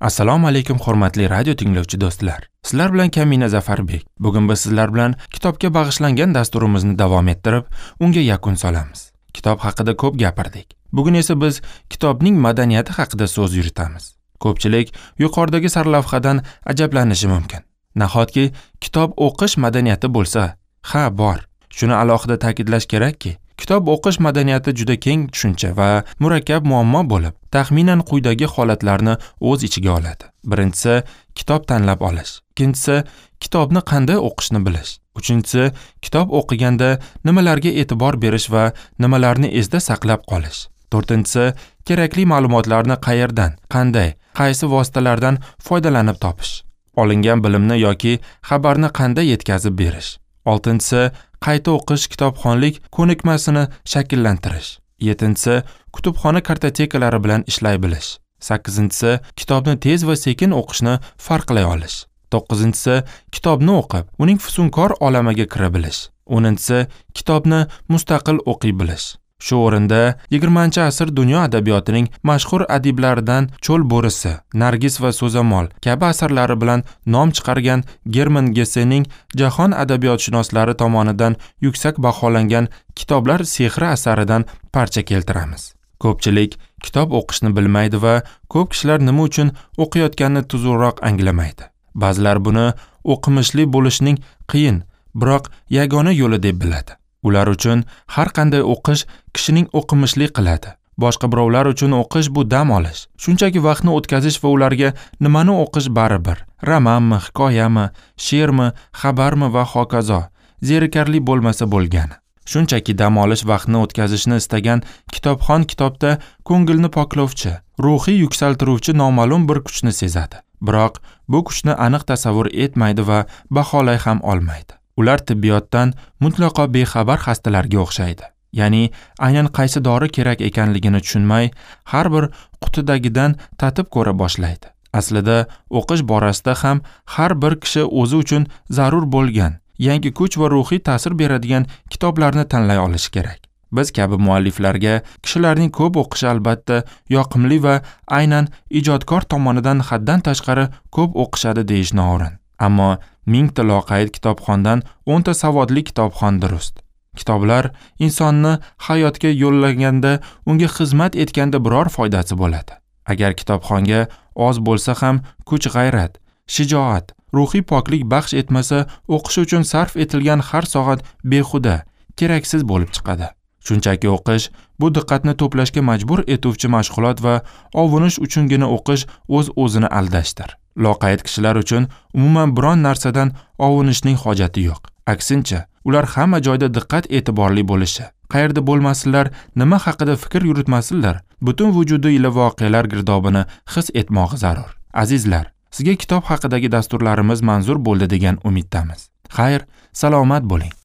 Assalomu alaykum hurmatli radio tinglovchi do'stlar. Sizlar bilan Kamina Zafarbek. Bugun biz sizlar bilan kitobga bag'ishlangan dasturimizni davom ettirib, unga yakun solamiz. Kitob haqida ko'p gapirdik. Bugun esa biz kitobning madaniyati haqida so'z yuritamiz. Ko'pchilik yuqoridagi sarlavhadan ajablanishi mumkin. Nahotki kitob o'qish madaniyati bo'lsa? Ha, bor. Shuni alohida ta'kidlash kerakki, kitob o'qish madaniyati juda keng tushuncha va murakkab muammo bo'lib, taxminan quyidagi holatlarni o'z ichiga oladi. Birinchisi, kitob tanlab olish. Ikkinchisi, kitobni qanday o'qishni bilish. Uchinchisi, kitob o'qiganda nimalarga e'tibor berish va nimalarni esda saqlab qolish. To'rtinchisi, kerakli ma'lumotlarni qayerdan, qanday, qaysi vositalardan foydalanib topish. Olingan bilimni yoki xabarni qanday yetkazib berish. Oltinchisi, qayta o'qish kitobxonlik ko'nikmasini shakllantirish. Yettinchisi, kutubxona kartotekalari bilan ishlay bilish. Sakkizinchisi, kitobni tez va sekin o'qishni farqlay olish. To'qqizinchisi, kitobni o'qib, uning fusunkor olamiga kira bilish. O'ninchisi, kitobni mustaqil o'qiy bilish. Shu o'rinda 20-asr dunyo adabiyotining mashhur adiblaridan Cho'l bo'risi, Nargis va So'zamol kabi asarlari bilan nom chiqargan German Gessening jahon adabiyotshunoslari tomonidan yuksak baholangan Kitoblar sehri asaridan parcha keltiramiz. Ko'pchilik kitob o'qishni bilmaydi va ko'p kishilar nima uchun o'qiyotganini tuzukroq anglamaydi. Ba'zilar buni o'qimishli bo'lishning qiyin, biroq yagona yo'li deb biladi. Ular uchun har qanday o'qish kishining o'qimishli qiladi. Boshqa birovlar uchun o'qish bu dam olish. Shunchaki vaqtni o'tkazish va ularga nimani o'qish baribir. Romanmi, hikoyami, she'rmi, xabarmi va hokazo. Zerikarli bo'lmasa bo'lgani. Shunchaki dam olish vaqtni o'tkazishni istagan kitobxon kitobda ko'ngilni poklovchi, ruhiy yuksaltiruvchi noma'lum bir kuchni sezadi. Biroq bu kuchni aniq tasavvur etmaydi va baholay ham olmaydi. Ular tibbiyotdan mutlaqo bexabar xastalarga o'xshaydi. Ya'ni aynan qaysi dori kerak ekanligini tushunmay, har bir qutidagidan tatib ko'ra boshlaydi. Aslida o'qish borasida ham har bir kishi o'zi uchun zarur bo'lgan, yangi kuch va ruhiy ta'sir beradigan kitoblarni tanlay olishi kerak. Biz kabi mualliflarga kishilarning ko'p o'qishi albatta yoqimli va aynan ijodkor tomonidan haddan tashqari ko'p o'qishadi deyish noo'rin. Ammo 1000 ta loqayd kitobxondan 10 ta savodli kitobxon durust. Kitoblar insonni hayotga yo'llaganda, unga xizmat etganda biror foydasi bo'ladi. Agar kitobxonga oz bo'lsa ham kuch-g'ayrat, shijoat, ruhiy poklik baxsh etmasa, o'qish uchun sarf etilgan har soat behuda, keraksiz bo'lib chiqadi. Shunchaki o'qish bu diqqatni to'plashga majbur etuvchi mashg'ulot va ovunish uchungina o'qish o'z-o'zini aldashdir. Loqayd kishilar uchun umuman biron narsadan ovunishning hojati yo'q. Aksincha, ular hamma joyda diqqat e'tiborli bo'lishi, qayerda bo'lmasinlar, nima haqida fikr yuritmasinlar, butun vujudi ila voqealar girdobini his etmog'i zarur. Azizlar, sizga kitob haqidagi dasturlarimiz manzur bo'ldi degan umiddamiz. Xayr, salomat bo'ling.